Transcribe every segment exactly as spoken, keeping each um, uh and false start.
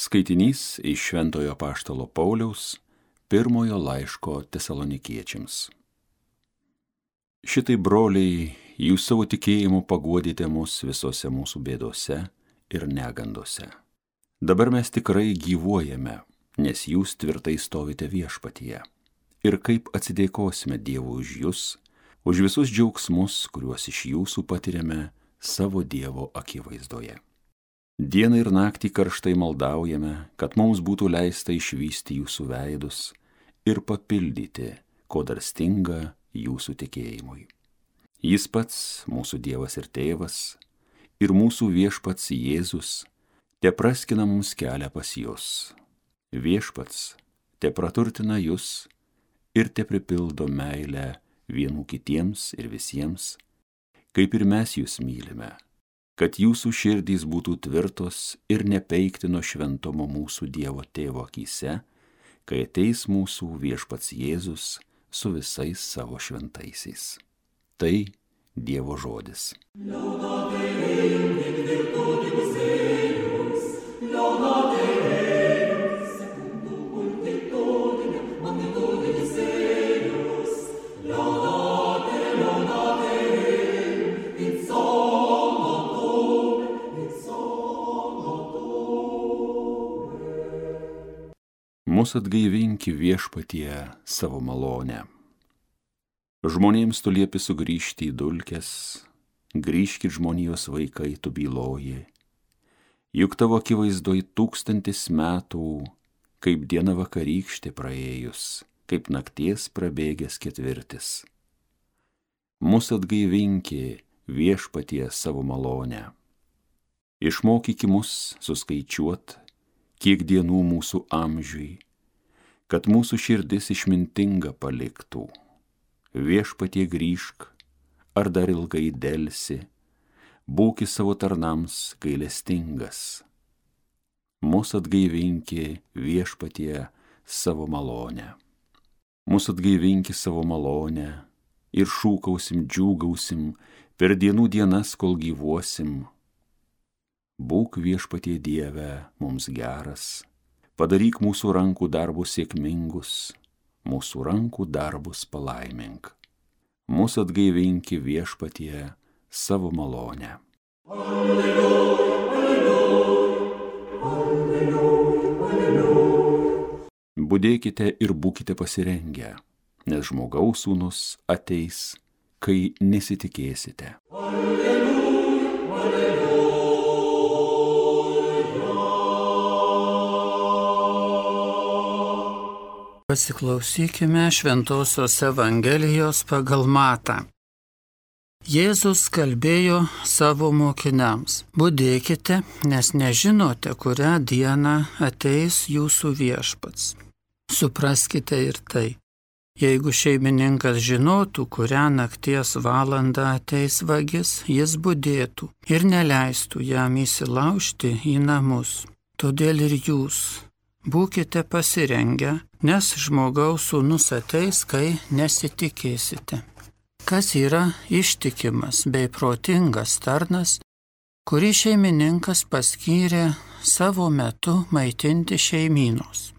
Skaitinys iš Šventojo apaštalo Pauliaus pirmojo laiško Tesalonikiečiams. Šitai, broliai, jūs savo tikėjimu paguodėte mus visose mūsų bėdose ir negandose. Dabar mes tikrai gyvuojame, nes jūs tvirtai stovite viešpatyje. Ir kaip atsidėkosime Dievui už jūs, už visus džiaugsmus, kuriuos iš jūsų patiriame savo Dievo akivaizdoje. Dieną ir naktį karštai maldaujame, kad mums būtų leista išvysti jūsų veidus ir papildyti, ko dar stinga jūsų tikėjimui. Jis pats, mūsų Dievas ir Tėvas, ir mūsų viešpats Jėzus, te praskina mums kelią pas jus. Viešpats te praturtina jus ir te pripildo meilę vienų kitiems ir visiems, kaip ir mes jūs mylime, kad jūsų širdys būtų tvirtos ir nepeikti nuo šventumo mūsų Dievo Tėvo akyse, kai ateis mūsų viešpats Jėzus su visais savo šventaisiais. Tai Dievo žodis. Mus atgaivinki viešpatie savo malonę. Žmonėms tu liepi sugrįžti į dulkes, grįžkit žmonijos vaikai, tu byloji. Juk tavo akivaizdoj tūkstantis metų, kaip diena vakarykštė praėjus, kaip nakties prabėgęs ketvirtis. Mus atgaivinki viešpatie savo malonę. Išmokyki mus suskaičiuot, kiek dienų mūsų amžiui, kad mūsų širdis išmintinga paliktų. Viešpatie grįžk, ar dar ilgai delsi, būki savo tarnams gailestingas. Mus atgaivinki viešpatie savo malonę. Mus atgaivinki savo malonę ir šūkausim, džiūgausim per dienų dienas, kol gyvuosim. Būk viešpatie Dieve mums geras, padaryk mūsų rankų darbus sėkmingus, mūsų rankų darbus palaimink. Mūsų atgaivinki viešpatie savo malonę. Alleluja, alleluja, alleluja, alleluja. Budėkite ir būkite pasirengę, nes žmogaus sūnus ateis, kai nesitikėsite. Alleluja, alleluja. Pasiklausykime Šventosios Evangelijos pagal Matą. Jėzus kalbėjo savo mokiniams: budėkite, nes nežinote, kurią dieną ateis jūsų viešpats. Supraskite ir tai. Jeigu šeimininkas žinotų, kurią nakties valandą ateis vagis, jis budėtų ir neleistų jam įsilaužti į namus. Todėl ir jūs būkite pasirengę, nes žmogaus sūnus ateis, kai nesitikėsite. Kas yra ištikimas bei protingas tarnas, kurį šeimininkas paskyrė savo metu maitinti šeimynos?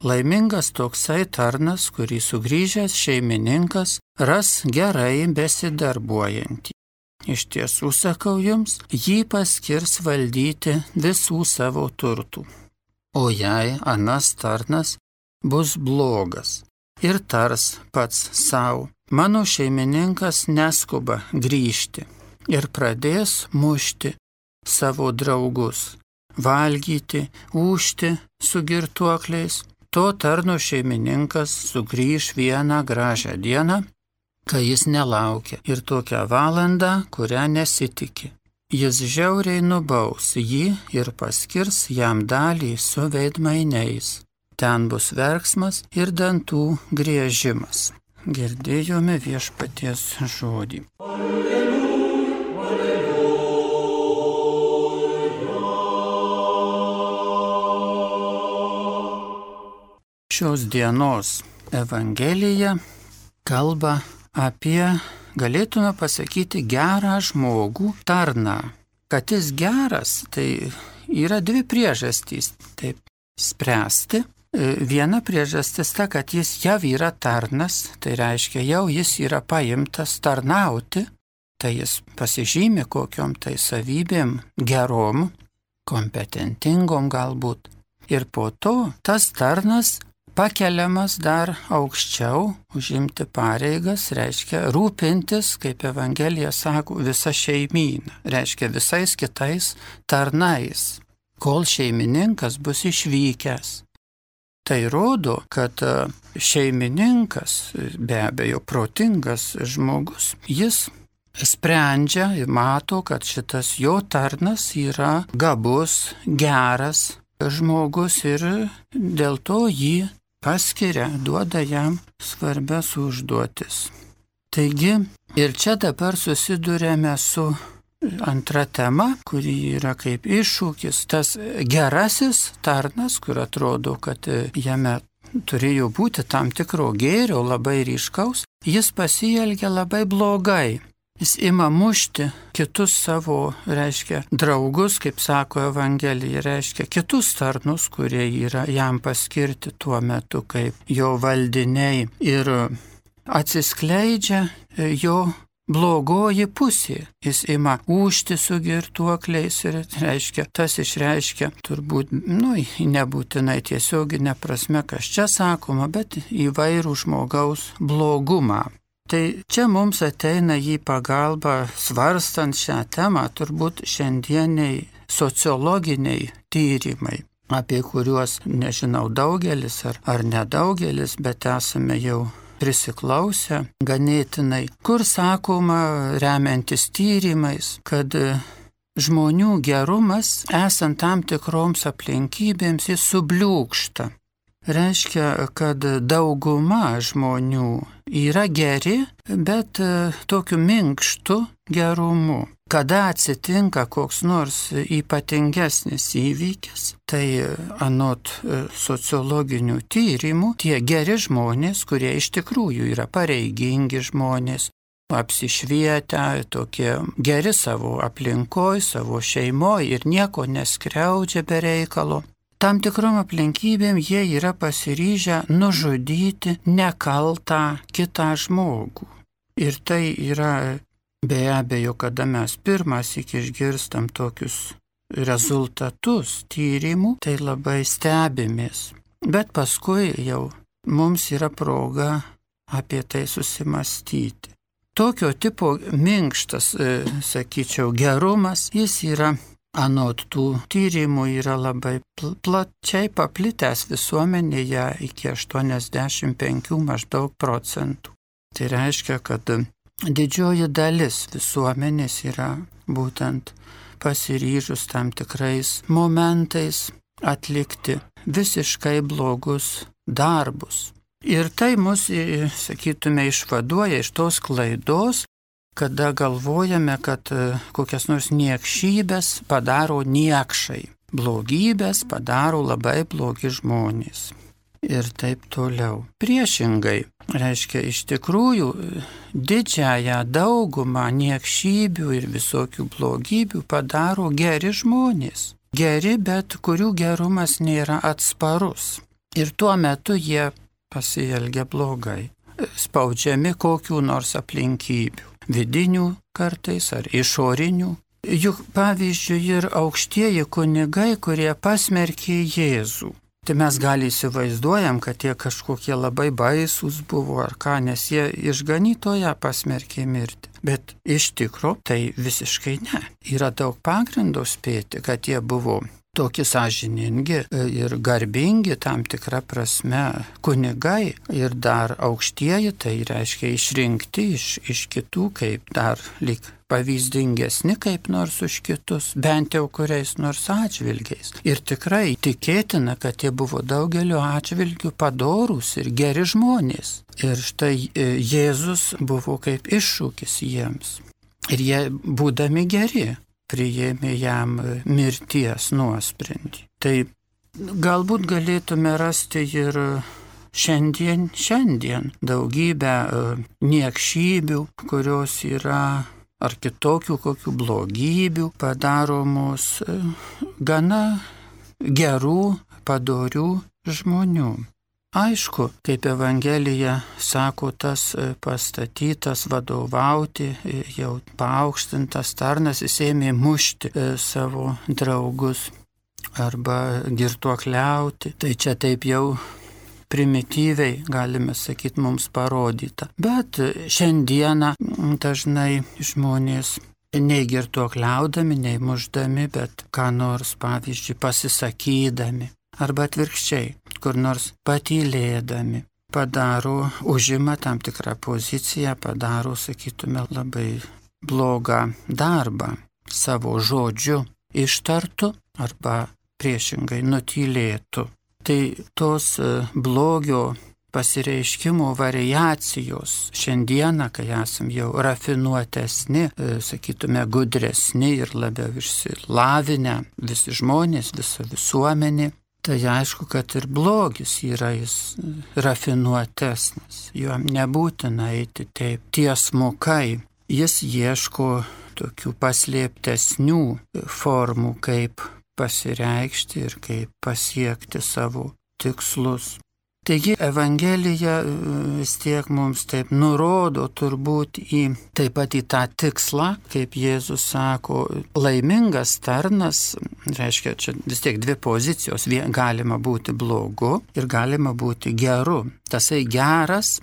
Laimingas toksai tarnas, kurį sugrįžęs šeimininkas ras gerai besidarbuojantį. Iš tiesų sakau jums, jį paskirs valdyti visų savo turtų. O jei anas tarnas bus blogas ir tars pats savo: mano šeimininkas neskuba grįžti, ir pradės mušti savo draugus, valgyti, ūžti su girtuokliais, to tarno šeimininkas sugrįž vieną gražią dieną, kai jis nelaukia, ir tokią valandą, kurią nesitiki. Jis žiauriai nubaus jį ir paskirs jam dalį su veidmainiais. Ten bus verksmas ir dantų griežimas. Girdėjome viešpaties žodį. Alleluja, alleluja. Šios dienos Evangelija kalba apie, galėtume pasakyti, gerą žmogų, tarną. Kad jis geras, tai yra dvi priežastys. Taip, spręsti. Viena priežastis ta, kad jis jau yra tarnas, tai reiškia, jau jis yra paimtas tarnauti, tai jis pasižymi kokiom tai savybėm gerom, kompetentingom galbūt. Ir po to tas tarnas pakeliamas dar aukščiau, užimti pareigas, reiškia rūpintis, kaip Evangelija sako, visa šeimyna, reiškia visais kitais tarnais, kol šeimininkas bus išvykęs. Tai rodo, kad šeimininkas, be abejo protingas žmogus, jis sprendžia ir mato, kad šitas jo tarnas yra gabus, geras žmogus ir dėl to jį paskiria, duoda jam svarbias užduotis. Taigi ir čia dabar susidurėme su antra tema, kuri yra kaip iššūkis, tas gerasis tarnas, kur atrodo, kad jame turėjo būti tam tikro gėrio, labai ryškaus, jis pasielgia labai blogai. Jis ima mušti kitus savo, reiškia, draugus, kaip sako Evangelija, reiškia, kitus tarnus, kurie yra jam paskirti tuo metu kaip jo valdiniai. Ir atsiskleidžia jo blogoji pusė. Jis ima ūžti su girtuokliais ir reiškia, tas išreiškia turbūt, nu, nebūtinai tiesioginė prasme, kas čia sakoma, bet įvairų žmogaus blogumą. Tai čia mums ateina į pagalbą svarstant šią temą turbūt šiandieniai sociologiniai tyrimai, apie kuriuos nežinau daugelis ar, ar nedaugelis, bet esame jau prisiklausę ganėtinai, kur sakoma, remiantis tyrimais, kad žmonių gerumas, esant tam tikroms aplinkybėms, jis subliūkšta. Reiškia, kad dauguma žmonių yra geri, bet tokiu minkštu gerumu. Kada atsitinka koks nors ypatingesnis įvykis, tai anot sociologinių tyrimų, tie geri žmonės, kurie iš tikrųjų yra pareigingi žmonės, apsišvietę, tokie geri savo aplinkoj, savo šeimoj ir nieko neskriaudžia be reikalo, tam tikrom aplinkybėm jie yra pasiryžę nužudyti nekaltą kitą žmogų. Ir tai yra be abejo, kada mes pirmas iki išgirstam tokius rezultatus tyrimų, tai labai stebimės. Bet paskui jau mums yra proga apie tai susimastyti. Tokio tipo minkštas, sakyčiau, gerumas, jis yra anot tų tyrimų yra labai plačiai paplitęs visuomenėje iki aštuoniasdešimt penkių maždaug procentų. Tai reiškia, kad didžioji dalis visuomenės yra būtent pasiryžus tam tikrais momentais atlikti visiškai blogus darbus. Ir tai mus, sakytume, išvaduoja iš tos klaidos, kada galvojame, kad kokias nors niekšybės padaro niekšai, blogybės padaro labai blogi žmonės. Ir taip toliau. Priešingai, reiškia, iš tikrųjų didžiąją daugumą niekšybių ir visokių blogybių padaro geri žmonės. Geri, bet kurių gerumas nėra atsparus. Ir tuo metu jie pasielgia blogai, spaudžiami kokių nors aplinkybių, vidinių kartais ar išorinių. Juk pavyzdžiui ir aukštieji kunigai, kurie pasmerkė Jėzų. Tai mes gali įsivaizduojam, kad jie kažkokie labai baisūs buvo ar ką, nes jie išganytoją pasmerkė mirti. Bet iš tikro tai visiškai ne. Yra daug pagrindo spėti, kad jie buvo tokie sąžiningi ir garbingi tam tikrą prasme kunigai ir dar aukštieji, tai reiškia išrinkti iš, iš kitų kaip dar lyg pavyzdingesni kaip nors už kitus, bent jau kuriais nors atžvilgiais. Ir tikrai tikėtina, kad jie buvo daugeliu atžvilgių padorūs ir geri žmonės. Ir štai Jėzus buvo kaip iššūkis jiems. Ir jie, būdami geri, priėmė jam mirties nuosprendį. Tai galbūt galėtume rasti ir šiandien, šiandien daugybę niekšybių, kurios yra ar kitokių kokių blogybių padaromos gana gerų, padorių žmonių. Aišku, kaip Evangelija sako, tas pastatytas vadovauti, jau paaukštintas tarnas, jis ėmė mušti savo draugus arba girtuokliauti. Tai čia taip jau primityviai, galime sakyti, mums parodyta. Bet šiandieną dažnai žmonės nei girtuokliaudami, nei mušdami, bet ką nors, pavyzdžiui, pasisakydami, arba atvirkščiai, kur nors patylėdami, padaro, užima tam tikrą poziciją, padaro, sakytume, labai blogą darbą savo žodžiu ištartų arba priešingai nutylėtų. Tai tos blogio pasireiškimo variacijos šiandieną, kai esam jau rafinuotesni, sakytume, gudresni ir labiau išsilavinę visi žmonės, visa visuomenė, tai aišku, kad ir blogis yra jis rafinuotesnis. Jo nebūtina eiti taip tiesmukai. Jis ieško tokių paslėptesnių formų, kaip pasireikšti ir kaip pasiekti savo tikslus. Taigi Evangelija vis tiek mums taip nurodo turbūt į, taip pat į tą tikslą, kaip Jėzus sako, laimingas tarnas, reiškia, čia vis tiek dvi pozicijos, galima būti blogu ir galima būti geru. Tasai geras,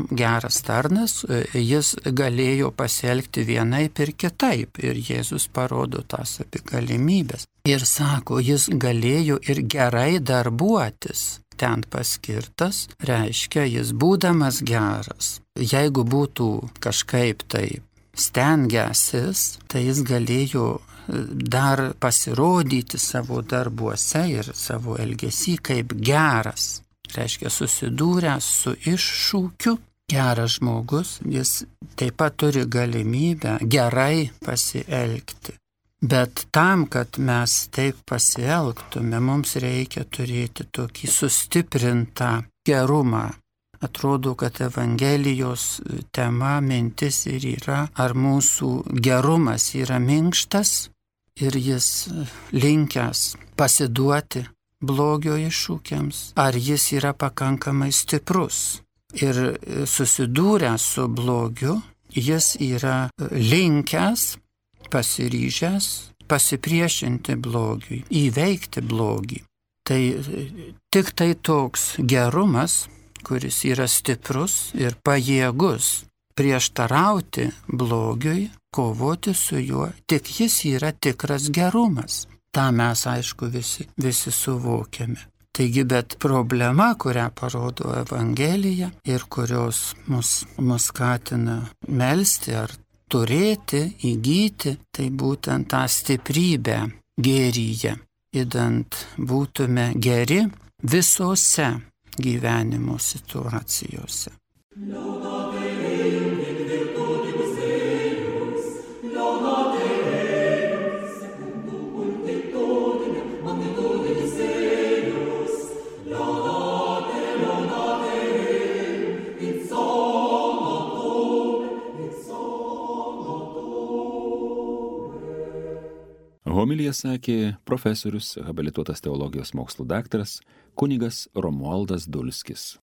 geras tarnas, jis galėjo pasielgti vienaip ir kitaip ir Jėzus parodo tas apie galimybės. Ir sako, jis galėjo ir gerai darbuotis. Ten paskirtas, reiškia, jis būdamas geras. Jeigu būtų kažkaip tai stengęsis, tai jis galėjo dar pasirodyti savo darbuose ir savo elgesį kaip geras. Reiškia, susidūręs su iššūkiu, geras žmogus, jis taip pat turi galimybę gerai pasielgti. Bet tam, kad mes taip pasielgtume, mums reikia turėti tokį sustiprintą gerumą. Atrodo, kad Evangelijos tema, mintis ir yra, ar mūsų gerumas yra minkštas ir jis linkęs pasiduoti blogio iššūkiams, ar jis yra pakankamai stiprus. Ir susidūręs su blogiu, jis yra linkęs, pasiryžęs pasipriešinti blogiui, įveikti blogį. Tai tik tai toks gerumas, kuris yra stiprus ir pajėgus prieštarauti blogiui, kovoti su juo, tik jis yra tikras gerumas. Ta mes, aišku, visi, visi suvokiame. Taigi, bet problema, kurią parodo Evangelija ir kurios mus, mus skatina melsti ar turėti, įgyti, tai būtent tą stiprybę gėryje, idant būtume geri visose gyvenimo situacijose. Homiliją sakė profesorius, habilituotas teologijos mokslų daktaras, kunigas Romualdas Dulskis.